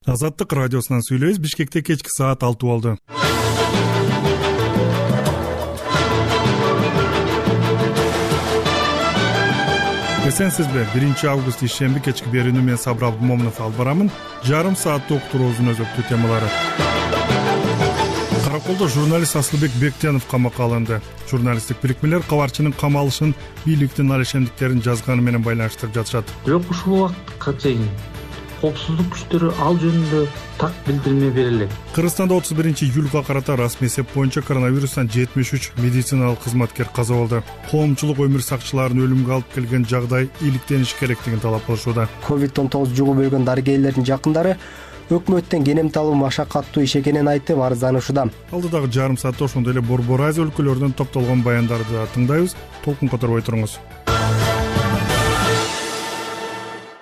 Азаттык радиосунан сүйлөйбүз. Бишкекте кечки саат 6 болду. Эсенсизби? 1 август ишемби кечки берүүнү мен Сабыр Абдумомунов алып барамын. Жарым сааттык уктуруубуздун өзөктүү темалары. Караколдо журналист Асылбек Бектенов камакка алынды. Журналисттик бирикмелер кабарчынын камалышын бийликтин алешемдиктерин жазганы менен байланыштырып жатышат. Бирок ушул убакытка чейин коопсуздук күчтөрү ал жөнүндө так билдирме бере элек. Кыргызстанда 31-июлга карата расмий эсеп боюнча коронавирустан 73 медициналык кызматкер каза болду. Коомчулук өмүр сакчыларын өлүмгө алып келген жагдай иликтениш керектигин талап кылышууда. COVID-19 жугуп өлгөн дарыгерлердин жакындары өкмөттөн кенемти алуу машакаттуу иш экенин айтып арызданышууда. Алдыдагы жарым саатта ошондой эле Борбор Азия өлкөлөрүнөн топтолгон баяндарды да тыңдайбыз. Толкун которбой туруңуз.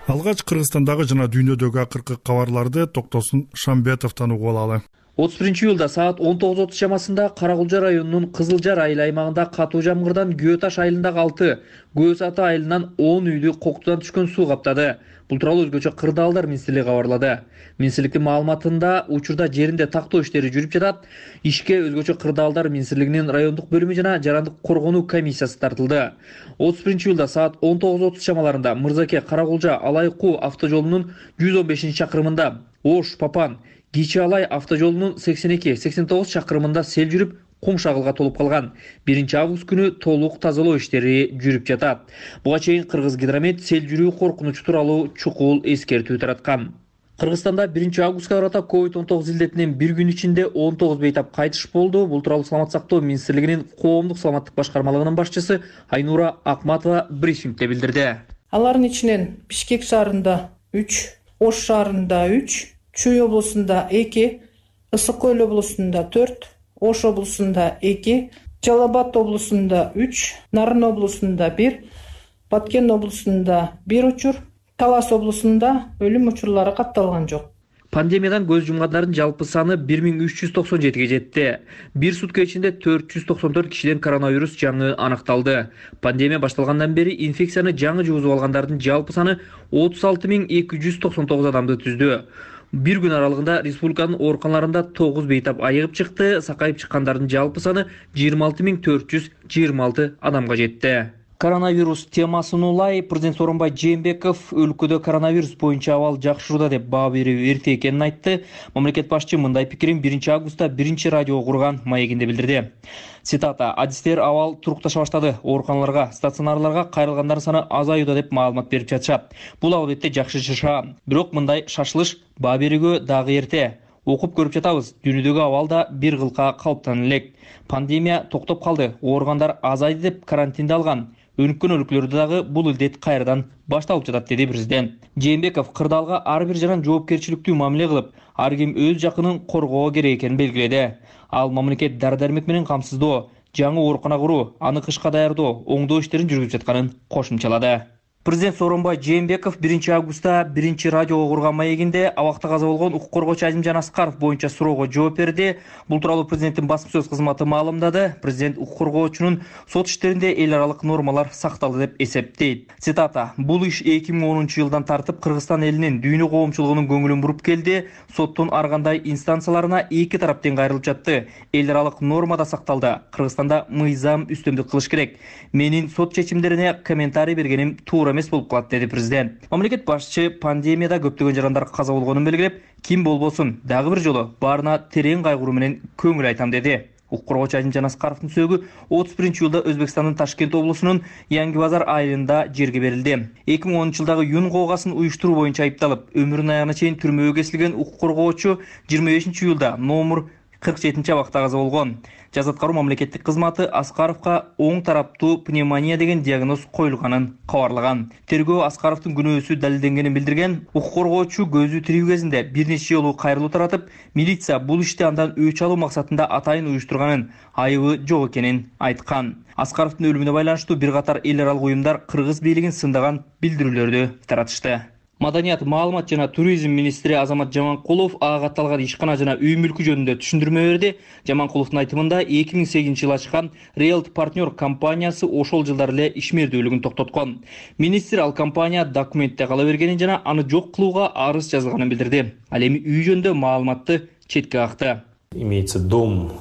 Алгач Кыргызстандагы жана дүйнөдөгү акыркы кабарларды Токтосун Шамбетовдон угуп алалы. 31-июлда саат 19:30 чамасында Каракулжа районунун Кызылжар айыл аймагында катуу жамгырдан Көө Таш айылындагы 6, Көө Саты айылынан 10 үйдү коктудан түшкөн суу каптады. Бул тууралуу өзгөчө Кырдаалдар министрлиги кабарлады. Министрликтин маалыматында учурда жеринде тактоо иштери жүрүп жатат. Ишке өзгөчө Кырдаалдар министрлигинин райондук бөлүмү жана жарандык коргонуу комиссиясы тартылды. 31-июлда саат 19:30 чамаларында Мырзаке Каракулжа Алай-Куу автожолунун 115 чакырымында, Ош Папан Кичи Алай автожолунун 82-89 чакырымында сел жүрүп, кум шагылга толуп калган. 1 август күнү толук тазалоо иштери жүрүп жатат. Буга чейин Кыргызгидромет сел жүрүү коркунучу тууралуу чукул эскертүү тараткан. Кыргызстанда 1 августка карата COVID-19 илдетинен бир күн ичинде 19 бейтап кайтыш болду. Бул тууралуу Саламат сактоо министрлигинин коомдук саламаттык башкармалыгынын башчысы Айнура Акматова брифингде билдирди. Алардын ичинен Бишкек шаарында 3, Ош шаарында 3, Чүй облусунда 2, Ысык Көл облусунда 4, Ош облусунда 2, Жалал Абад облусунда 3, Нарын облусунда 1, Баткен облусунда 1 учур, Талас облусунда өлүм учурлары катталган жок. Пандемиядан көз жумгандардын жалпы саны 1397ге жетти. Бир сутка ичинде 494 кишиден коронавирус жаңы анықталды. Пандемия башталгандан бери инфекцияны жаңы жугузуп алгандардын жалпы саны 36299 адамды түздү. Бир күн аралыгында республиканын ооруканаларында 9 бейтап айыгып чыкты. Сакайып чыккандардын жалпы саны 26426 адамга жетти. Коронавирус темасын улай президент Сооронбай Жээнбеков өлкөдө коронавирус боюнча абал жакшырууда деп баа берүү эрте экенин айтты. Мамлекет башчы мындай пикирин 1 августта 1 радиого курган маегинде билдирди. Цитата: "Адистер абал турукташа баштады. Ооруканаларга, стационарларга кайрылгандардын саны азаюуда" деп маалымат берип жатышат. Бул албетте жакшы шаша. Бирок мындай шашылыш баа берүүгө дагы эрте. Окуп көрүп жатабыз. Дүйнөдөгү абал да бир кылка калыптан элек. Пандемия токтоп калды. Ооргандар азайды деп карантинде алган. Өнүккөн өлкөлөрдө дагы бул илдет кайрадан башталып жатат, деди президент. Жээнбеков Кырдаалга ар бир жаран жоопкерчиликтүү мамиле кылып, ар ким өз жакынын коргоо керек экенин белгиледи. Ал мамлекет дары-дармек менен камсыздоо, жаңы оорукана куруу, аны кышка даярдоо, оңдоо иштерин жүргүзүп жатканын кошумчалады. Президент Сооронбай Жээнбеков 1 августта 1 радиого курган маегинде абакта каза болгон укук коргоочу Азимжан Аскаров боюнча суроого жооп берди. Бул тууралуу президенттин басма сөз кызматы маалымдады. Президент укук коргоочунун сот иштеринде эл аралык нормалар сакталды деп эсептейт. Цитата: "Бул иш 2010-жылдан тартып Кыргызстан элинин дүйнө коомчулугунун көңүлүн буруп келди. Соттун ар кандай инстанцияларына эки тарап тең кайрылып жатты. Эл аралык норма да сакталды. Кыргызстанда мыйзам үстөмдүк кылыш керек. Менин сот чечимдерине комментарий бергеним туура эмес болуп калат", деди президент. Мамлекет башчы пандемияда көптөгөн жарандар каза болгонун белгилеп, ким болбосун дагы бир жолу баарына терең кайгыруу менен көңүл айтам, деди. Укук коргоочу Азимжан Аскаровдун сөөгү 31-июлда Өзбекстандын Ташкент облусунун Yangi Bazar айылында жерге берилди. 2010-жылдагы Юн коогасын уюштуруу боюнча айыпталып, өмүрүнүн аягына чейин түрмөгө кесилген укук коргоочу 25-июлда номер 47 абакта каза болгон. Жаза аткаруу мамлекеттик кызматы Аскаровга оң тараптуу пневмония деген диагноз коюлганын кабарлаган. Тергөө Аскаровдун күнөөсү далилденгенин билдирген. Укук коргоочу көзү тирүү кезинде бир нече жолу кайрылуу таратып, милиция бул ишти андан өч алуу максатында атайын уюштурганын, айыбы жок экенин айткан. Аскаровдун өлүмүнө байланыштуу бир катар эл аралык уюмдар кыргыз бийлигин сындаган билдирүүлөрдү таратышты. Маданият, маалымат жана туризм министри Азамат Жаманкулов ага катталган ишкана жана үй мүлкү жөнүндө түшүндүрмө берди. Жаманкуловдун айтымында 2008-жылы ачкан Realty Partner компаниясы ошол жылдары эле ишмердүүлүгүн токтоткон. Министр ал компания документте кала бергенин жана аны жок кылууга арыз жазылганын билдирди. Ал эми үй жөнүндө маалыматты четке какты. Имеется дом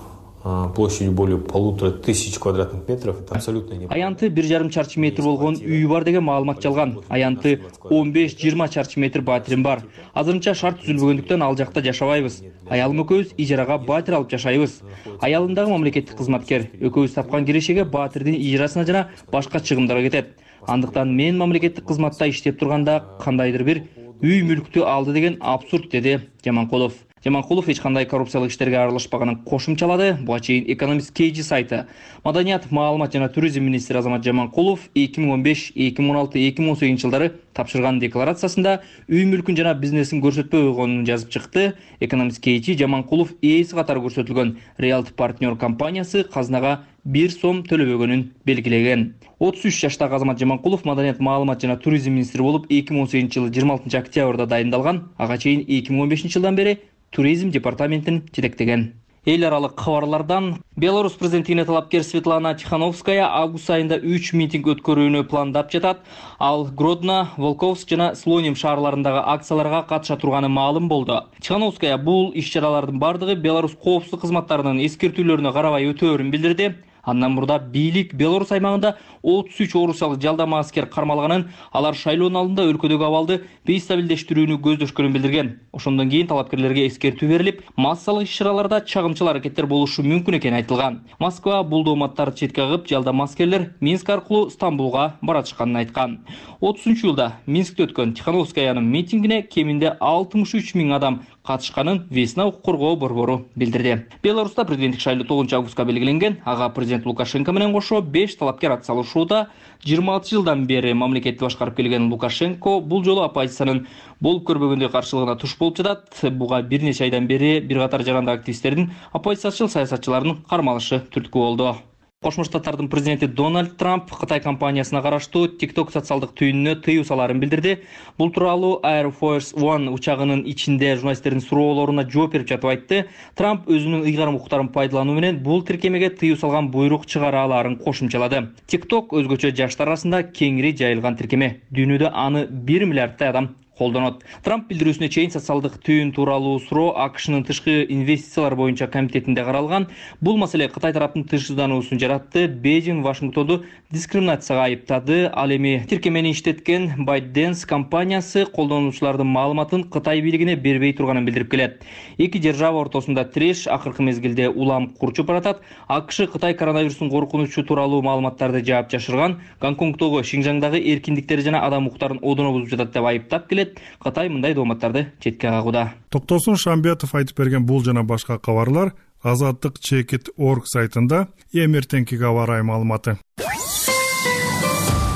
площадью более 1500 квадратных метров. Это абсолютно не. Аянты 1,5 чарчы метр болгон үйү бар деген маалымат жалган. Аянты 15-20 чарчы метр батирим бар. Азырынча шарт түзүлбөгөндүктөн ал жакта жашабайбыз. Аялым экөөбүз ижарага батир алып жашайбыз. Аялым дагы мамлекеттик кызматкер. Экөөбүз тапкан кирешеге батирдин ижарасына жана башка чыгымдарга кетет. Андыктан мен мамлекеттик кызматта иштеп турганда кандайдыр бир үй мүлктү алды деген абсурд, деди Жаманкулов. Жаманкулов эч кандай коррупциялык иштерге аралашпаганын кошумчалады. Буга чейин Economist KG сайты. Маданият, маалымат жана туризм министри Азамат Жаманкулов 2015, 2016, 2018 жылдары тапшырган декларациясында үй мүлкүн жана бизнесин көрсөтпөй койгонун жазып чыкты. Economist KG Жаманкулов ээси катары көрсөтүлгөн Realty Partner компаниясы казынага 1 сом төлөбөгөнүн белгилеген. 33 жаштагы Азамат Жаманкулов маданият, маалымат жана туризм министри болуп 2018 жылы 26 октябрда дайындалган. Ага чейин 2015 жылдан бери туризм департаментин жетектеген. Эл аралык кабарлардан Беларусь президентине талапкер Светлана Тихановская август айында 3 митинг өткөрүүнү пландап жатат. Ал Гродно, Волковск жана Слоним шаарларындагы акцияларга катыша турганы маалым болду. Тихановская бул иш-чаралардын бардыгы Беларусь коопсуздук кызматтарынын эскертүүлөрүнө карабай өтөөрүн билдирди. Андан мурда бийлик Беларусь аймагында 33 орусиялык жалдама аскер кармалганын, алар шайлоонун алдында өлкөдөгү абалды бейстабилдештирүүнү көздөшкөнүн билдирген. Ошондон кийин талапкерлерге эскертүү берилип, массалык иш-чараларда чагымчыл аракеттер болушу мүмкүн экени айтылган. Москва бул дооматтарды четке кагып, жалдама аскерлер Минск аркылуу Стамбулга баратышканын айткан. 30-жылда Минскте өткөн Тихановскаянын митингине кеминде 63 000 адам катышканын Весна укук коргоо борбору билдирди. Беларуста президенттик шайлоо 9 августка белгиленген. Ага президент Лукашенко менен кошо 5 талапкер атсалышууда. 26 жылдан бери мамлекетти башкарып келген Лукашенко бул жолу оппозициянын болуп көрбөгөндөй каршылыгына туш болуп жатат. Буга бир нече айдан бери бир катар жаранды активисттердин оппозициячыл саясатчылардын кармалышы түрткү болду. Кошмо Штаттардын президенти Дональд Трамп Кытай компаниясына караштуу TikTok социалдык түйүнүнө тыюу салаарын билдирди. Бул тууралуу Air Force One учагынын ичинде журналисттердин суроолоруна жооп берип жатып айтты. Трамп өзүнүн ыйгарым укуктарын пайдалануу менен бул тиркемеге тыюу салган буйрук чыгара алаарын кошумчалады. TikTok өзгөчө жаштар арасында кеңири жайылган тиркеме. Дүйнөдө аны 1 миллиардтай адам колдонот. Трамп билдирүүсүнө чейин социалдык түйүн тууралуу суроо АКШнын тышкы инвестициялар боюнча комитетинде каралган. Бул маселе Кытай тараптын тынчсыздануусун жаратты. Бейжиң Вашингтонду дискриминацияга айыптады. Ал эми тиркемени иштеткен ByteDance компаниясы колдонуучулардын маалыматын Кытай бийлигине бербей турганын билдирип келет. Эки держава ортосунда тиреш акыркы мезгилде улам курчуп баратат. АКШ Кытай коронавирустун коркунучу тууралуу маалыматтарды жаап жашырган, Гонконгдогу, Шинжаңдагы эркиндиктери жана адам укуктарын одоно бузуп жатат деп айыптап келет. Кытай мындай дооматтарды четке кагууда. Токтосун Шамбетов айтып берген бул жана башка кабарлар Азаттык Чекит.org сайтында эми эртеңкиге аба ырайы маалыматы.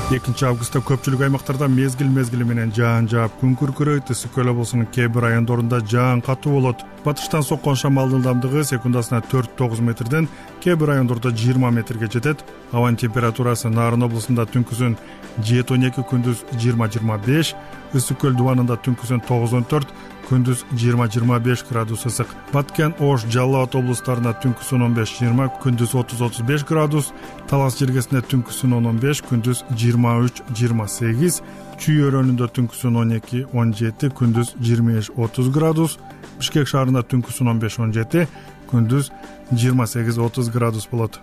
2 августта көпчүлүк аймактарда мезгил менен жаан жаап күн күркүрөйт. Ысык-Көл облусунун кээ бир райондорунда жаан катуу болот. Батыштан соккон шамалдын ылдамдыгы секундасына 4-9 метрден, кээ бир райондордо 20 метрге жетет. Абанын температурасы Нарын облусунда түнкүсүн 7-12, күндүз 20-25, Ысык-Көл дубанында түнкүсүн 9-14, күндүз 20-25 градус ысык. Баткен, Ош, Жалал Абад облустарында түнкүсүн 15-20, күндүз 30-35 градус, Талас жергесинде түнкүсүн 10-15, күндүз 23-28, Чүй өрөөнүндө түнкүсүн 12-17, күндүз 25-30 градус, Бишкек шаарында түнкүсүн 15-17, күндүз 28-30 градус болот.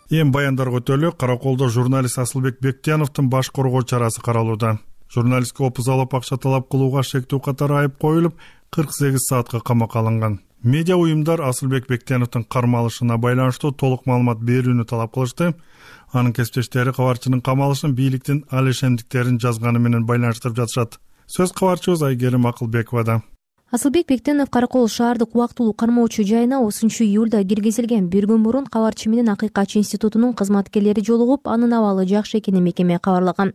Эң баяндарга өтөлү. Караколдо журналист Асылбек Бектияновдун баш коргоо чарасы каралууда. Журналистке опуз алып акча талап кылууга шектүү катары айып коюлуп, 48 саатка камакка алынган. Медиа уюмдар Асылбек Бектияновдун кармалышына байланыштуу толук маалымат берүүнү талап кылышты. Анын кесиптештери кабарчынын камалышын бийликтин ал ишемдиктерин жазганы менен байланыштырып жатышат. Сөз кабарчыбыз Айгерим Акылбековада. Асылбек Бектенов Каракол шаардык убактылуу кармоочу жайына 30-июлда киргизилген. Bir күн мурун кабарчы менен Акыйкач институтунун кызматкерлери жолугуп, анын абалы жакшы экенин мекеме кабарлаган.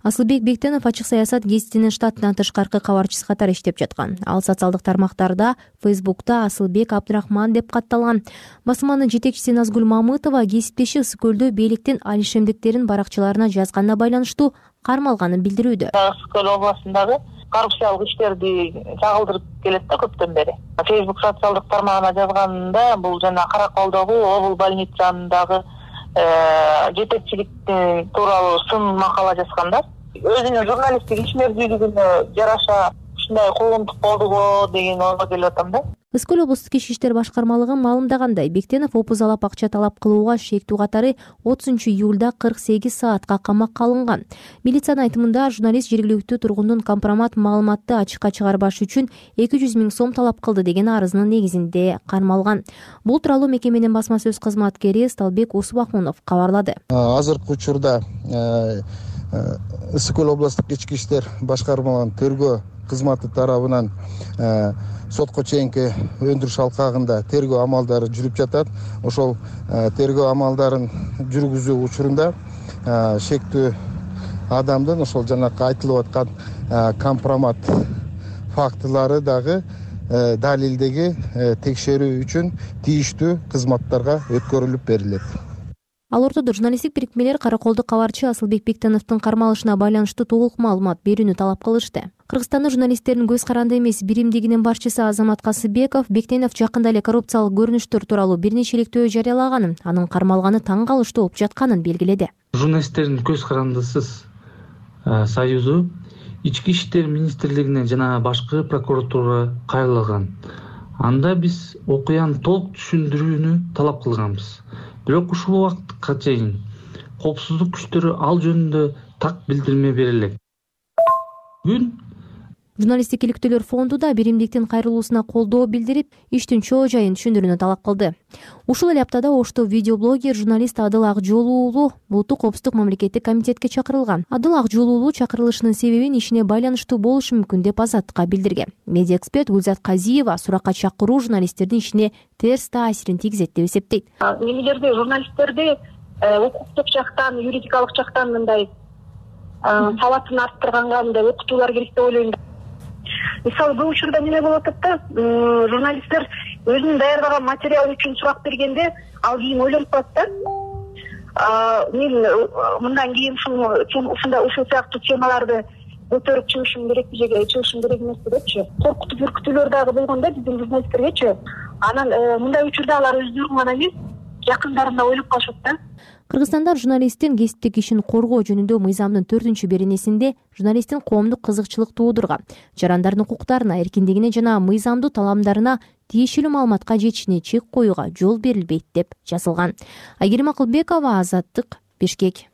Асылбек Бектенов ачык саясат гезитинин штаттан тышкаркы кабарчысы катары иштеп жаткан. Ал социалдык тармактарда, Фейсбукта Асылбек Абдрахман деп катталган. Басманын жетекчиси Назгүл Мамытова гезиптеши Ысык көлдө бийликтин алишемдиктерин баракчаларына жазганына байланыштуу кармалганын билдирүүдө. Ысык көл областындагы коррупциялык иштерди чагылдырып келет да көптөн бери. Facebook социалдык тармагына жазганында бул жана Караколдогу обул больница жанындагы жетекчилик тууралуу сын макала жазганда, өзүнүн журналисттик ишмердүүлүгүнө жараша ушундай коомдук болдуго деген ойго келип атам да. Ысык көл облустук ички иштер башкармалыгы маалымдагандай, Бектенов опуз алап акча талап кылууга шектүү катары 30-июлда 48 саатка камакка алынган. Милициянын айтымында журналист жергиликтүү тургундун компромат маалыматты ачыкка чыгарбаш үчүн 200 000 сом талап кылды деген арызынын негизинде кармалган. Бул тууралуу мекеменин басма сөз кызматкери Сталбек Усубахунов кабарлады. Азыркы учурда Ысык көл облустук ички иштер башкармалыгынын тергөө кызматы тарабынан сотко чейинки өндүрүш алкагында тергөө амалдары жүрүп жатат. Ошол тергөө амалдарын жүргүзүү учурунда шектүү адамдын ошол жанакы айтылып аткан компромат фактылары дагы далилдеги текшерүү үчүн тийиштүү кызматтарга өткөрүлүп берилет. Ал ортодо журналисттик бирикмелер Караколдук кабарчы Асылбек Бектеновдун кармалышына байланыштуу толук маалымат берүүнү талап кылышты. Кыргызстандын журналисттердин көз каранды эмес биримдигинин башчысы Азамат Касыбеков Бектенов жакында эле коррупциялык көрүнүштөр тууралуу бир нече иликтөө жарыялаганын, анын кармалганы таң калыштуу болуп жатканын белгиледи. Журналисттердин көз карандысыз союзу ички иштер министрлигине жана башкы прокуратурага кайрылган. Анда биз окуяны толук түшүндүрүүнү талап кылганбыз. Бирок ушул убакытка чейин коопсуздук күчтөрү ал жөнүндө так билдирме бере элек. Бүгүн Журналисттик иликтөөлөр фонду да биримдиктин кайрылуусуна колдоо билдирип, иштин чоо жайын түшүндүрүүнү талап кылды. Ушул эле аптада Ошто видеоблогер журналист Адыл Акжол уулу Улуттук коопсуздук мамлекеттик комитетке чакырылган. Адыл Акжол уулу чакырылышынын себебин ишине байланыштуу болушу мүмкүн деп Азаттыкка билдирген. Медиа эксперт Гүлзат Казиева суракка чакыруу журналисттердин ишине терс таасирин тийгизет деп эсептейт. Эмнелерде журналисттерди укуктук жактан, юридикалык жактан мындай сабатын арттырганга мындай окутуулар керек деп ойлойм. Мисалы, бул учурда эмне болуп атат да, журналисттер өзүнүн даярдаган материал үчүн сурак бергенде, ал кийин ойлонуп калат да. Мен мындан кийин ушул сыяктуу темаларды көтөрүп чыгышым керекпи же чыгышым керек эмеспи депчи. Коркутуп үркүтүүлөр дагы болгондо биздин журналисттергечи. Анан мындай учурда алар өздөрүн гана эмес, жакындарында ойлоп калышат да. Кыргызстанда журналисттин кесиптик ишин коргоо жөнүндө мыйзамдын 4-беренесинде журналисттин коомдук кызыкчылык туудурган, жарандардын укуктарына, эркиндигине жана мыйзамдуу таламдарына тиешелүү маалыматка жетишине чек коюуга жол берилбейт деп жазылган. Айгерим Акылбекова, Азаттык, Бишкек.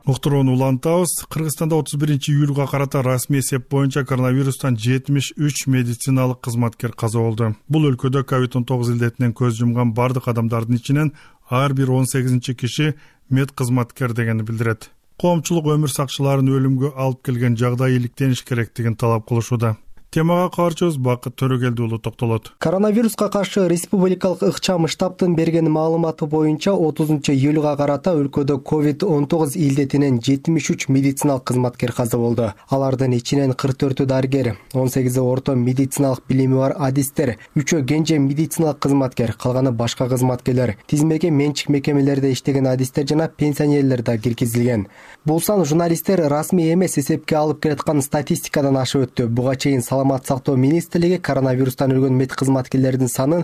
Уктурууну улантабыз. Кыргызстанда 31-июлга карата расмий эсеп боюнча коронавирустан 73 медициналык кызматкер каза болду. Бул өлкөдө COVID-19 илдетинен көз жумган бардык адамдардын ичинен ар бир 18 киши мед кызматкер дегенди билдирет. Коомчулук өмүр сакчыларын өлүмгө алып келген жагдай иликтениш керектигин талап кылышууда. Темага кабарчыбыз Бакыт Төрөгелди уулу токтолот. Коронавируска каршы республикалык ыкчам штабтын берген маалыматы боюнча 30-июлга карата өлкөдө COVID-19 илдетинен 73 медициналык кызматкер каза болду. Алардын ичинен 44 дарыгер, 18 орто медициналык билими бар адистер, 3 кенже медициналык кызматкер, калганы башка кызматкерлер, тизмеге менчик мекемелерде иштеген адистер жана пенсионерлер да киргизилген. Бул сан журналисттер расмий эмес эсепке алып келаткан статистикадан ашып өттү. Буга чейин Саламат сактоо министрлиги коронавирустан өлгөн мед кызматкерлердин санын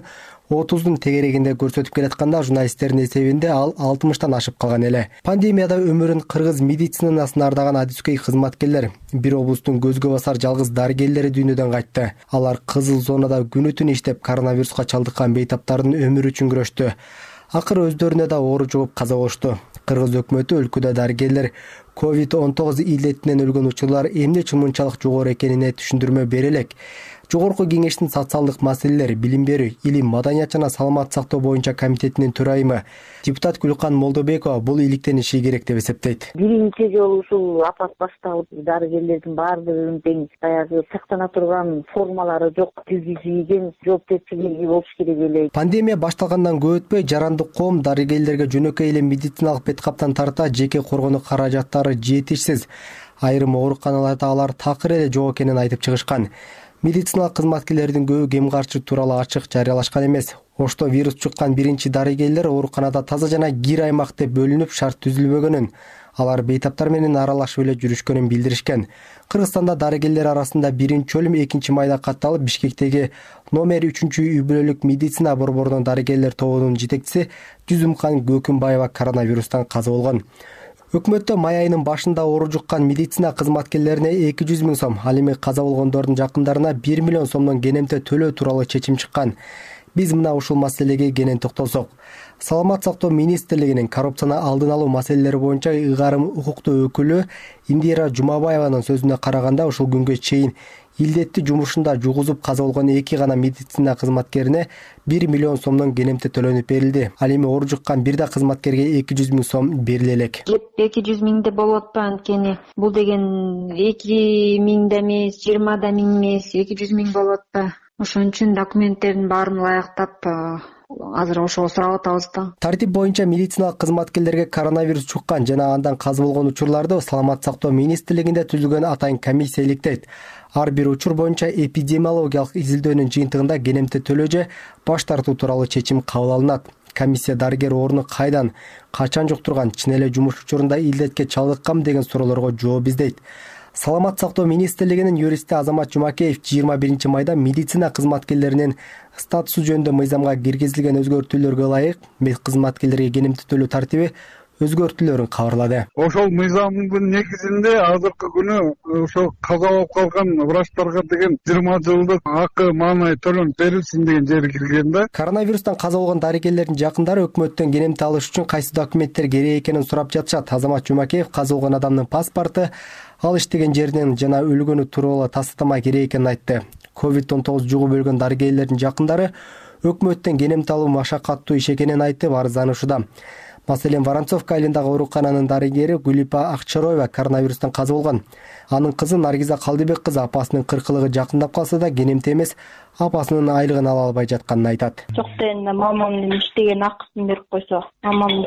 30-дун тегерегинде көрсөтүп келатканда, журналисттердин эсебинде ал 60-тан ашып калган эле. Пандемияда өмүрүн кыргыз медицинасын ардаган адискөй кызматкерлер, бир облустун көзгө басар жалгыз дарыгерлери дүйнөдөн кайтты. Алар кызыл зонада күнү-түн иштеп, коронавируска чалдыккан бейтаптардын өмүрү үчүн күрөштү. Акыры өздөрүнө да оору жугуп каза болушту. Кыргыз өкмөтү өлкөдө дарыгерлер COVID-19 илдетинен өлгөн учурлар эмне үчүн мынчалык жогору экенине түшүндүрмө бере элек. Жогорку кеңештин социалдык маселелер, билим берүү, илим, маданият жана саламаттык сактоо боюнча комитетинин төрайымы депутат Гүлкан Молдобекова бул иликтениши керек деп эсептейт. Биринчи жолу ушул апат башталып, дарыгерлердин баардыгынын тең баягы сактана турган формалары жок, кийген жоопкерчилиги болуш керек эле. Пандемия башталгандан көп өтпөй жарандык коом дарыгерлерге жөнөкөй эле медициналык бет каптан тарта жеке коргонуу каражаттары жетишсиз. Айрым ооруканаларда алар такыр эле жок экенин айтып чыгышкан. Медициналык кызматкерлердин көбү кем каршы тууралуу ачык жарыялашкан эмес. Ошто вирус чуккан биринчи дарыгерлер ооруканада таза жана кир аймак деп бөлүнүп шарт түзүлбөгөнүн, алар бейтаптар менен аралашып эле жүрүшкөнүн билдиришкен. Кыргызстанда дарыгерлер арасында биринчи өлүм 2-майда катталып, Бишкектеги номер 3-үй бүлөлүк медицина борборунун дарыгерлер тобунун жетекчиси Жүзүмкан Көкүмбаева коронавирустан каза болгон. Өкмөттө май айынын башында оору жуккан медицина кызматкерлерине 200 000 сом, ал эми каза болгондордун жакындарына 1 миллион сомдон кенемте төлөө тууралуу чечим чыккан. Биз мына ушул маселеге кенен токтолсок. Саламаттык сактоо министрлигинин коррупцияны алдын алуу маселелери боюнча ыйгарым укуктуу өкүлү Индира Жумабаеванын сөзүнө караганда, ушул күнгө чейин илдетти жумушунда жугузуп каза болгон 2 гана медицина кызматкерине 1 миллион сомдон кенемте төлөнүп берилди. Ал эми оору жуккан бир да кызматкерге 200 000 сом бериле элек. 200 000 да болуп атпа, анткени бул деген 2 000 да эмес, 20 да миң эмес, 200 000 болуп атпа. Ошон үчүн документтердин баарын ылайыктап азыр ошого сурап атабыз да. Тартип боюнча медициналык кызматкерлерге коронавирус чуккан жана андан каза болгон учурларды Саламаттык сактоо министрлигинде түзүлгөн атайын комиссия иликтейт. Ар бир учур боюнча эпидемиологиялык изилдөөнүн жыйынтыгында кенемте төлөө же баш тартуу тууралуу чечим кабыл алынат. Комиссия дарыгер ооруну кайдан, качан жуктурган, чын эле жумуш учурунда илдетке чалдыкканбы деген суроолорго жооп издейт. Саламаттык сактоо министрлигинин юристи Азамат Жумакеев 21-майда медицина кызматкерлеринин статусу жөнүндө мыйзамга киргизилген өзгөртүүлөргө ылайык мед кызматкерлерге кенемте төлөө тартиби өзгөртүүлөрүн кабарлады. Ошол мыйзамдын негизинде азыркы күнү ошол каза болуп калган врачтарга деген 20 жылдык акы маанай төлөнүп берилсин деген жери кирген да. Коронавирустан каза болгон дарыгерлердин жакындары өкмөттөн кенемте алыш үчүн кайсы документтер керек экенин сурап жатышат. Азамат Жумакеев каза болгон адамдын паспорту, ал иштеген жеринен жана өлгөнү тууралуу тастама керек экенин айтты. COVID-19 жугуп өлгөн дарыгерлердин жакындары өкмөттөн кенемте алуу машакаттуу иш экенин айтып арызданышууда. Маселен, Воронцовка айылындагы оорукананын дарыгери Гүлипа Акчароева коронавирустан каза болгон. Анын кызы Наргиза Калдыбек кызы апасынын 40-лыгы жакындап калса да кенемте эмес, апасынын айлыгын ала албай жатканын айтат. Жок дегенде мамамдын иштеген акысын берип койсо, мамамдын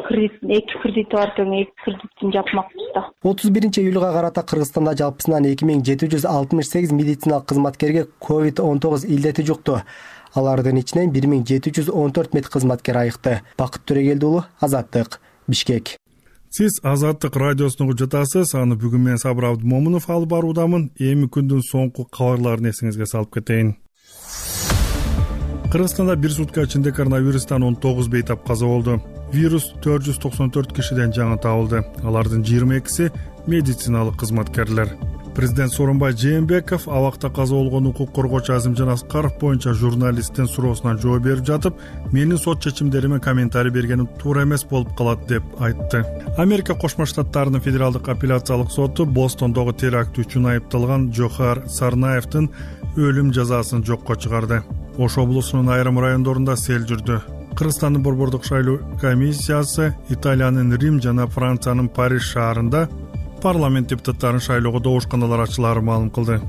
эки кредити бар экен, эки кредитин жапмакпыз да. 31-июлга карата Кыргызстанда жалпысынан 2768 медициналык кызматкерге COVID-19 илдети жукту. Алардын ичинен 1714 мед кызматкер айыкты. Бакыт Төрөгелди уулу, Азаттык, Бишкек. Сиз Азаттык радиосуна жатасыз. Аны бүгүн мен Сабыр Абдымомунов алып баруудамын. Эми күндүн соңку кабарларын эсиңизге салып кетейин. Кыргызстанда бир сутка ичинде коронавирустан 19 бейтап каза болду. Вирус 494 кишиден жаңы табылды. Алардын 22-си медициналык кызматкерлер. Президент Сооронбай Жээнбеков абакта каза болгон укук коргоочу Азимжан Аскаров боюнча журналисттин суроосуна жооп берип жатып, менин сот чечимдериме комментарий бергеним туура эмес болуп калат деп айтты. Америка Кошмо Штаттарынын федералдык апелляциялык соту Бостондогу теракт үчүн айыпталган Жохар Сарнаевдин өлүм жазасын жокко чыгарды. Ош облусунун айрым райондорунда сел жүрдү. Кыргызстандын борбордук шайлоо комиссиясы Италиянын Рим жана Франциянын Париж шаарында парламент депутаттарын шайлоого добушканалар ачылаарын маалым кылды.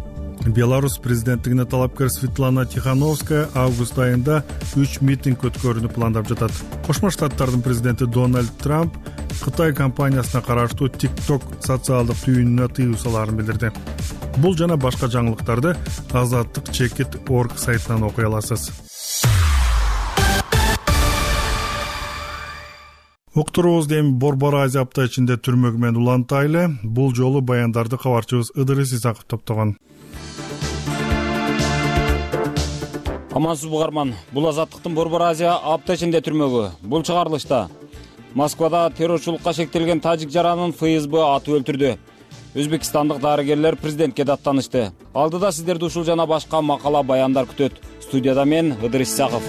Беларусь президенттигине талапкер Светлана Тихановская август айында 3 митинг өткөрүүнү пландап жатат. Кошмо Штаттардын президенти Дональд Трамп Кытай компаниясына караштуу TikTok социалдык түйүнүнө тыюу салаарын билдирди. Бул жана башка жаңылыктарды azаттык.org сайтынан окуй аласыз. Уктуруубузду эми Борбор Азия апта ичинде түрмөгү менен улантайлы. Бул жолу баяндарды кабарчыбыз Ыдырыс Исаков топтогон. Амансыз бугарман. Бул Азаттыктын Борбор Азия апта ичинде түрмөгү. Бул чыгарылышта Москвада террорчулукка шектелген тажик жаранын ФСБ атып өлтүрдү. Өзбекстандык дарыгерлер президентке даттанышты. Алдыда сиздерди ушул жана башка макала баяндар күтөт. Студияда мен Ыдырыс Исаков.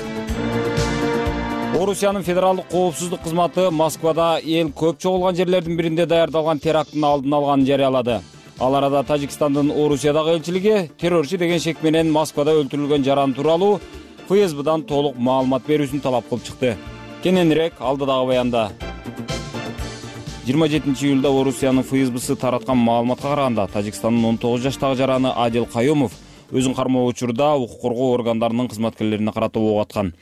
Орусиянын федералдык коопсуздук кызматы Москвада эл көп чогулган жерлердин биринде даярдалган теракттын алдын алганын жарыялады. Ал арада Тажикстандын Орусиядагы элчилиги террорчу деген шек менен Москвада өлтүрүлгөн жаран тууралуу ФСБдан толук маалымат берүүсүн талап кылып чыкты. Кененирээк алдыдагы баянда. 27-июлда Орусиянын ФСБсы тараткан маалыматка караганда, Тажикстандын 19 жаштагы жараны Адил Каюмов өзүн кармоо учурда укук коргоо органдарынын кызматкерлерине карата ок аткан.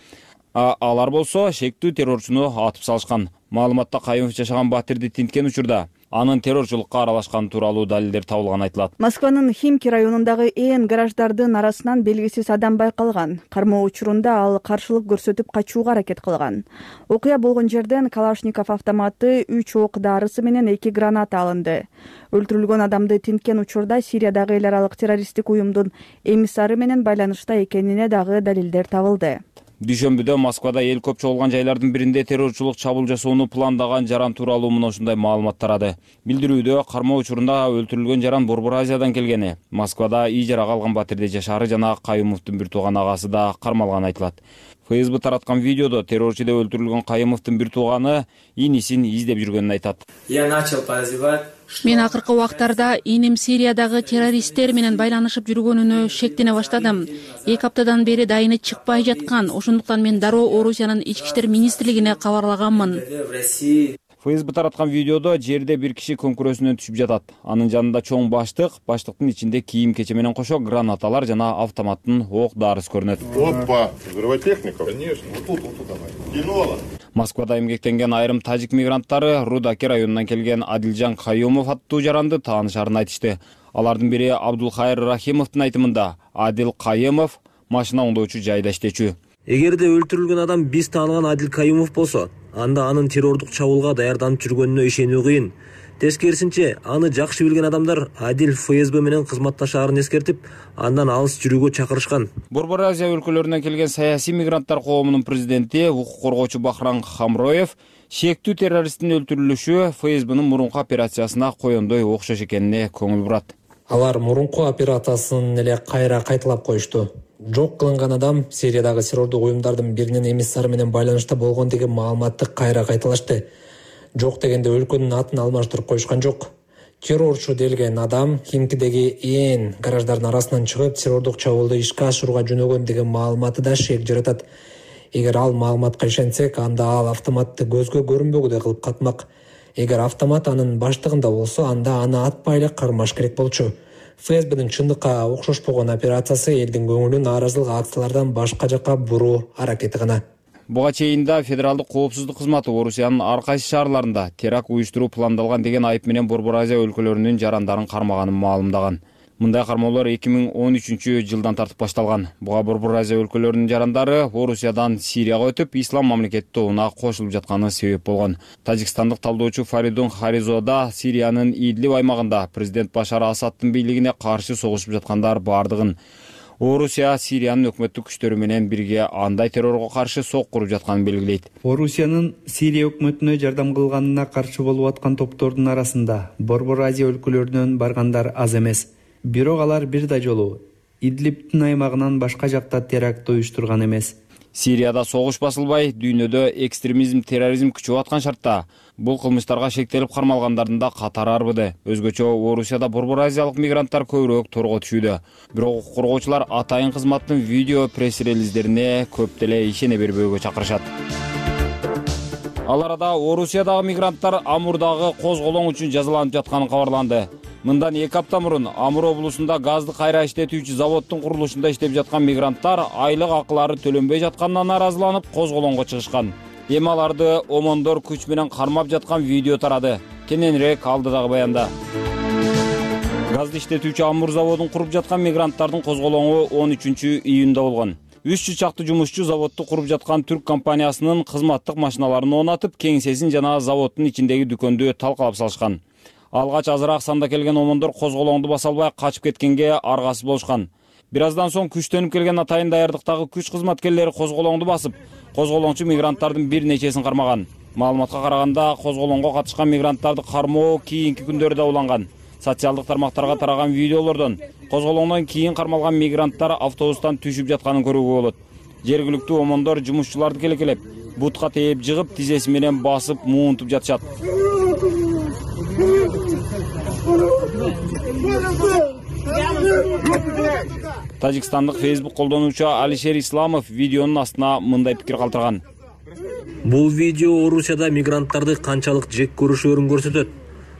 Алар болсо шектүү террорчуну атып салышкан. Маалыматта Каюмов жашаган батирди тинткен учурда анын террорчулукка аралашкан тууралуу далилдер табылганы айтылат. Москванын Химки районундагы ээн гараждардын арасынан белгисиз адам байкалган. Кармоо учурунда ал каршылык көрсөтүп качууга аракет кылган. Окуя болгон жерден Калашников автоматы, 3 ок дарысы менен 2 граната алынды. Өлтүрүлгөн адамды тинткен учурда Сириядагы эл аралык террористтик уюмдун эмиссары менен байланышта экенине дагы далилдер табылды. Дүйшөмбүдө Москвада эл көп чогулган жайлардын биринде террорчулук чабуул жасоону пландаган жаран тууралуу мына ушундай маалымат тарады. Билдирүүдө кармоо учурунда өлтүрүлгөн жаран Борбор Азиядан келгени, Москвада ий жарага алган батирде жашаары жана Каюмовдун бир тууган агасы да кармалганы айтылат. ФСБ тараткан видеодо террорчу деп өлтүрүлгөн Каюмовдун бир тууганы инисин издеп жүргөнүн айтат. Мен акыркы убактарда иним Сириядагы террористтер менен байланышып жүргөнүнө шектене баштадым. 2 аптадан бери дайыны чыкпай жаткан. Ошондуктан мен дароо Орусиянын ички иштер министрлигине кабарлаганмын. ФСБ тараткан видеодо жерде бир киши көңкүрөсүнөн түшүп жатат. Анын жанында чоң баштыктын ичинде кийим кече менен кошо гранаталар жана автоматтын ок дарысы көрүнөт. Опа, взрывая техника? Конечно. Вот тут давай. Кинола. Москвада эмгектенген айрым тажик мигранттары Рудаки районунан келген Адилжан Каюмов аттуу жаранды таанышарын айтышты. Алардын бири Абдулхайыр Рахимовдун айтымында Адил Каюмов машина оңдоочу жайда иштечү. Эгерде өлтүрүлгөн адам биз тааныган Адил Каюмов болсо, анда анын террордук чабуулга даярданып жүргөнүнө ишенүү кыйын. Тескерисинче, аны жакшы билген адамдар Адил ФСБ менен кызматташаарын эскертип, андан алыс жүрүүгө чакырышкан. Борбор Азия өлкөлөрүнөн келген саясий мигранттар коомунун президенти, укук коргоочу Бахран Хамроев шектүү террористтин өлтүрүлүшү ФСБнын мурунку операциясына коёндой окшош экенине көңүл бурат. Алар мурунку операциясын эле кайра кайталап коюшту. Жок кылынган адам Сириядагы террордук уюмдардын биринин эмиссары менен байланышта болгон деген маалыматты кайра кайталашты. Жок дегенде өлкөнүн атын алмаштырып коюшкан жок. Террорчу делген адам Химкидеги ээн гараждардын арасынан чыгып, террордук чабуулду ишке ашырууга жөнөгөн деген маалыматы да шек жаратат. Эгер ал маалыматка ишенсек, анда ал автоматты көзгө көрүнбөгүдөй кылып катмак. Эгер автомат анын баштыгында болсо, анда аны атпай эле кармаш керек болчу. ФСБнын чындыкка окшошпогон операциясы элдин көңүлүн нааразылык акциялардан башка жакка буруу аракети гана. Буга чейин да Федералдык коопсуздук кызматы Орусиянын ар кайсы шаарларында теракт уюштуруу пландалган деген айып менен Борбор Азия өлкөлөрүнүн жарандарын кармаганын маалымдаган. Мындай кармоолор 2013-жылдан тартып башталган. Буга Борбор Азия өлкөлөрүнүн жарандары Орусиядан Сирияга өтүп, Ислам мамлекети тобуна кошулуп жатканы себеп болгон. Тажикстандык талдоочу Фаридун Харизода Сириянын Идлиб аймагында президент Башар Асаддын бийлигине каршы согушуп жаткандар бардыгын, Орусия Сириянын өкмөттүк күчтөрү менен бирге андай террорго каршы сок куруп жатканын белгилейт. Орусиянын Сирия өкмөтүнө жардам кылганына каршы болуп аткан топтордун арасында Борбор Азия өлкөлөрүнөн баргандар аз эмес. Бирок алар бир да жолу Идлибтин аймагынан башка жакта теракт уюштурган эмес. Сирияда согуш басылбай, дүйнөдө экстремизм, терроризм күчөп аткан шартта бул кылмыштарга шектелип кармалгандардын да катары арбыды. Өзгөчө Орусияда Борбор Азиялык мигранттар көбүрөөк торго түшүүдө. Бирок укук коргоочулар атайын кызматтын видео пресс-релиздерине көп деле ишене бербөөгө чакырышат. Ал арада Орусиядагы мигранттар Амурдагы козголоң үчүн жазаланып жатканы кабарланды. Мындан 2 апта мурун Амур облусунда газды кайра иштетүүчү заводдун курулушунда иштеп жаткан мигранттар айлык акылары төлөнбөй жатканына нааразыланып козголоңго чыгышкан. Эми аларды омондор күч менен кармап жаткан видео тарады. Кененирээк алдыдагы баянда. Газды иштетүүчү Амур заводун куруп жаткан мигранттардын козголоңу 13-июнда болгон. 300 чакты жумушчу заводду куруп жаткан түрк компаниясынын кызматтык машиналарын онатып, кеңсесин жана заводдун ичиндеги дүкөндү талкалап салышкан. Алгач азыраак санда келген омондор козголоңду баса албай качып кеткенге аргасыз болушкан. Бир аздан соң күчтөнүп келген атайын даярдыктагы күч кызматкерлери козголоңду басып, козголоңчу мигранттардын бир нечесин кармаган. Маалыматка караганда, козголоңго катышкан мигранттарды кармоо кийинки күндөрдө уланган. Социалдык тармактарга тараган видеолордон козголоңдон кийин кармалган мигранттар автобустан түшүп жатканын көрүүгө болот. Жергиликтүү омондор жумушчуларды келекелеп, бутка тээп жыгып, тизеси менен басып, муунтуп жатышат. Тажикстандык Facebook колдонуучу Алишер Исламов видеонун астына мындай пикир калтырган. Бул видео Орусияда мигранттарды канчалык жек көрүшөрүн көрсөтөт.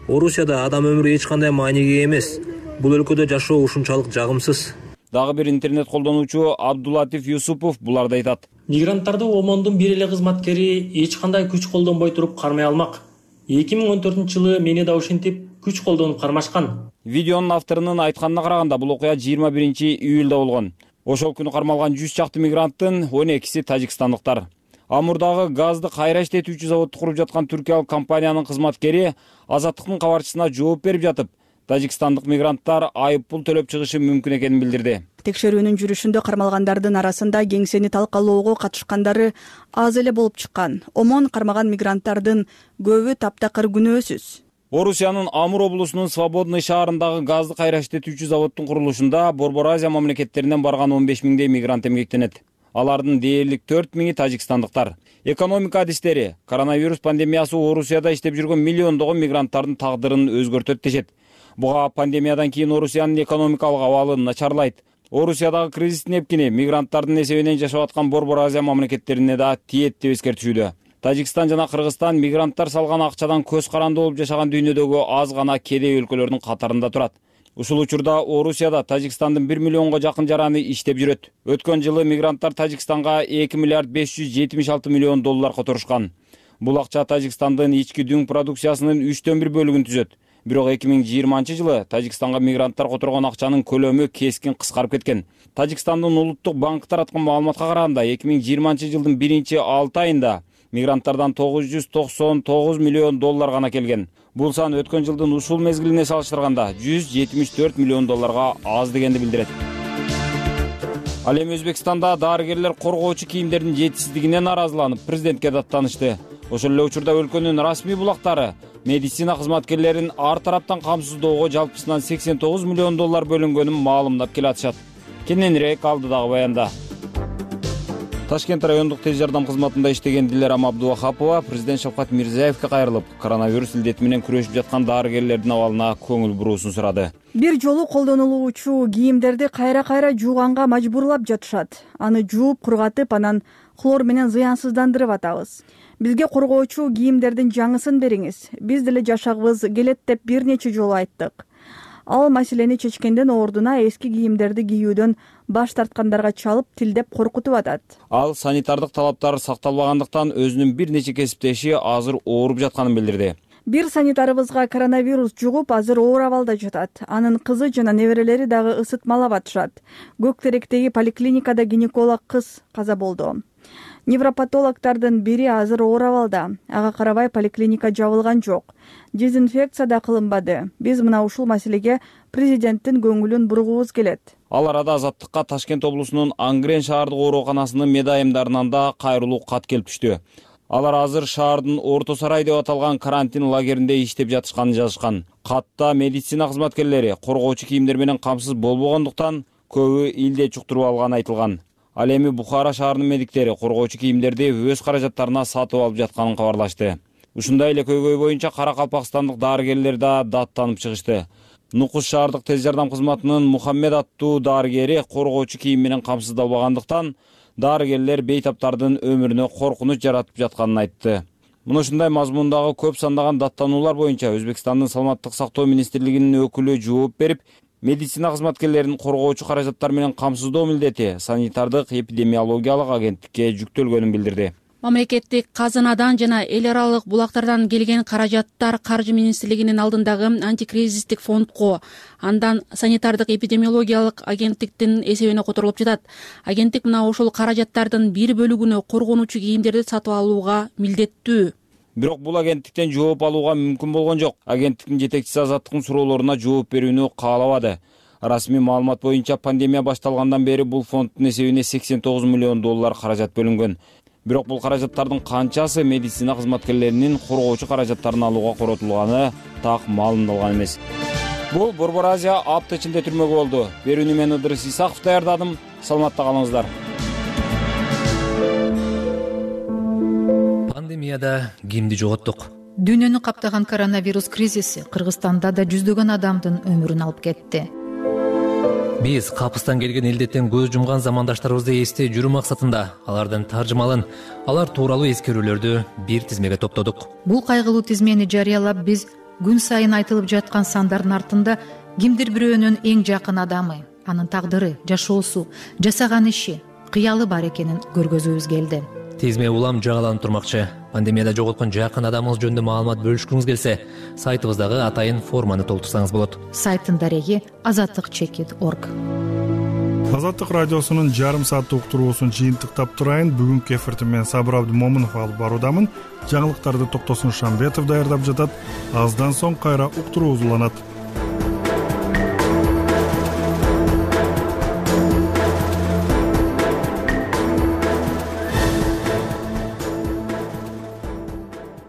Орусияда адам өмүрү эч кандай мааниге эмес. Бул өлкөдө жашоо ушунчалык жагымсыз. Дагы бир интернет колдонуучу Абдулатиф Юсупов буларды айтат. Мигранттарды ОМОНдун бир эле кызматкери эч кандай күч колдонбой туруп кармай алмак. 2014-жылы мени да ушинтип күч колдонуп кармашкан. Видеонун авторунун айтканына караганда бул окуя 21-июлда болгон. Ошол күнү кармалган 100 чакты мигранттын 12си тажикстандыктар. Амурдагы газды кайра иштетүүчү заводду куруп жаткан түркиялык компаниянын кызматкери Азаттыктын кабарчысына жооп берип жатып, тажикстандык мигранттар айыппул төлөп чыгышы мүмкүн экенин билдирди. Текшерүүнүн жүрүшүндө кармалгандардын арасында кеңсени талкалоого катышкандары аз эле болуп чыккан. ОМОН кармаган мигранттардын көбү таптакыр күнөөсүз. Орусиянын Амур облусунун Свободный шаарындагы газды кайра иштетүүчү заводдун курулушунда Борбор Азия мамлекеттеринен барган 15 миңдей мигрант эмгектенет. Алардын дээрлик 4 миңи тажикстандыктар. Экономика адистери коронавирус пандемиясы Орусияда иштеп жүргөн миллиондогон мигранттардын тагдырын өзгөртөт дешет. Буга пандемиядан кийин Орусиянын экономикалык абалы начарлайт. Орусиядагы кризистин эпкини мигранттардын эсебинен жашап аткан Борбор Азия мамлекеттерине да тиет деп эскертишүүдө. Тажикстан жана Кыргызстан мигранттар салган акчадан көз каранды болуп жашаган дүйнөдөгү аз гана кедей өлкөлөрдүн катарында турат. Ушул учурда Орусияда Тажикстандын 1 миллионго жакын жараны иштеп жүрөт. Өткөн жылы мигранттар Тажикстанга 2 миллиард 576 миллион доллар которушкан. Бул акча Тажикстандын ички дүң продукциясынын 3/1 бөлүгүн түзөт. Бирок 2020 жылы Тажикстанга мигранттар которгон акчанын көлөмү кескин кыскарып кеткен. Тажикстандын улуттук банкы тараткан маалыматка караганда 2020 жылдын 1-6 айында мигранттардан 999 миллион доллар гана келген. Бул сан өткөн жылдын ушул мезгилине салыштырганда 174 миллион долларга аз дегенди билдирет. Ал эми Өзбекстанда дарыгерлер коргоочу кийимдердин жетишсиздигине наразыланып, президентке даттанышты. Ошол эле учурда өлкөнүн расмий булактары медицина кызматкерлерин ар тараптан камсыздоого жалпысынан 89 миллион доллар бөлүнгөнүн маалымдап келатышат. Кененирээк алдыдагы баянда. Ташкент райондук тез жардам кызматында иштеген Дилера Абдувахапова президент Шавкат Мирзиевке кайрылып, коронавирус илдети менен күрөшүп жаткан дарыгерлердин абалына көңүл буруусун сурады. Бир жолу колдонулуучу кийимдерди кайра жууганга мажбурлап жатышат. Аны жууп, кургатып, анан хлор менен зыянсыздандырып атабыз. Бизге коргоочу кийимдердин жаңысын бериңиз. Биз деле жашагыбыз келет деп бир нече жолу айттык. Ал маселени чечкенден ордуна эски кийимдерди кийүүдөн баш тарткандарга чалып, тилдеп коркутуп атат. Ал санитардык талаптар сакталбагандыктан өзүнүн бир нече кесиптеши азыр ооруп жатканын билдирди. Бир санитарыбызга коронавирус жугуп, азыр оор абалда жатат. Анын кызы жана неберелери дагы ысытмалап атышат. Көктеректеги поликлиникада гинеколог кыз каза болду. Невропатологдордун бири азыр оор абалда. Ага карабай поликлиника жабылган жок. Дезинфекция да кылынбады. Биз мына ушул маселеге президенттин көңүлүн бургубуз келет. Ал арада Азаттыкка Ташкент облусунун Ангрен шаардык ооруканасынын медайымдарынан да кайрылуу кат келип түштү. Алар азыр шаардын Орто Сарай деп аталган карантин лагеринде иштеп жатышканын жазышкан. Катта медицина кызматкерлери коргоочу кийимдер менен камсыз болбогондуктан көбү илде чуктуруп алганы айтылган. Ал эми Бухара шаарынын медиктери коргоочу кийимдерди өз каражаттарына сатып алып жатканын кабарлашты. Ушундай эле көйгөй боюнча Каракалпакстандык дарыгерлер да даттанып чыгышты. Нукус шаардык тез жардам кызматынын Мухаммед аттуу дарыгери коргоочу кийим менен камсыздалбагандыктан дарыгерлер бейтаптардын өмүрүнө коркунуч жаратып жатканын айтты. Мына ушундай мазмундагы көп сандаган даттануулар боюнча Өзбекстандын саламаттык сактоо министрлигинин өкүлү жооп берип, медицина кызматкерлерин коргоочу каражаттар менен камсыздоо милдети санитардык эпидемиологиялык агенттикке жүктөлгөнүн билдирди. Мамлекеттик казынадан жана эл аралык булактардан келген каражаттар Каржы министрлигинин алдындагы антикризистик фондко, андан санитардык эпидемиологиялык агенттиктин эсебине которулуп жатат. Агенттик мына ошол каражаттардын бир бөлүгүнө коргонуучу кийимдерди сатып алууга милдеттүү. Бирок бул агенттиктен жооп алууга мүмкүн болгон жок. Агенттиктин жетекчиси Азаттыктын суроолоруна жооп берүүнү каалабады. Расмий маалымат боюнча пандемия башталгандан бери бул фонддун эсебине 89 миллион доллар каражат бөлүнгөн. Бирок бул каражаттардын канчасы медицина кызматкерлеринин коргоочу каражаттарын алууга коротулганы так маалымдалган эмес. Бул Борбор Азия апта ичинде түрмөгү болду. Берүүнү мен Ыдырыс Исаков даярдадым. Саламатта калыңыздар. Пандемияда кимди жоготтук? Дүйнөнү каптаган коронавирус кризиси Кыргызстанда да жүздөгөн адамдын өмүрүн алып кетти. Биз капыстан келген илдеттен көз жумган замандаштарыбызды эстей жүрүү максатында алардын таржымалын, алар тууралуу эскерүүлөрдү бир тизмеге топтодук. Бул кайгылуу тизмени жарыялап биз күн сайын айтылып жаткан сандардын артында кимдир бирөөнүн эң жакын адамы, анын тагдыры, жашоосу, жасаган иши, кыялы бар экенин көргөзүүбүз келди. Тизме улам жагаланып турмакчы. Пандемияда жоготкон жакын адамыңыз жөнүндө маалымат бөлүшкүңүз келсе, сайтыбыздагы атайын форманы толтурсаңыз болот. Сайттын дареги azatlyk.org. Азаттык радиосунун жарым сааттык уктуруусун жыйынтыктап турайын. Бүгүнкү эфирди мен Сабыр Абдымомунов алып баруудамын. Жаңылыктарды Токтосун Шамбетов даярдап жатат. Аздан соң кайра уктуруубуз уланат.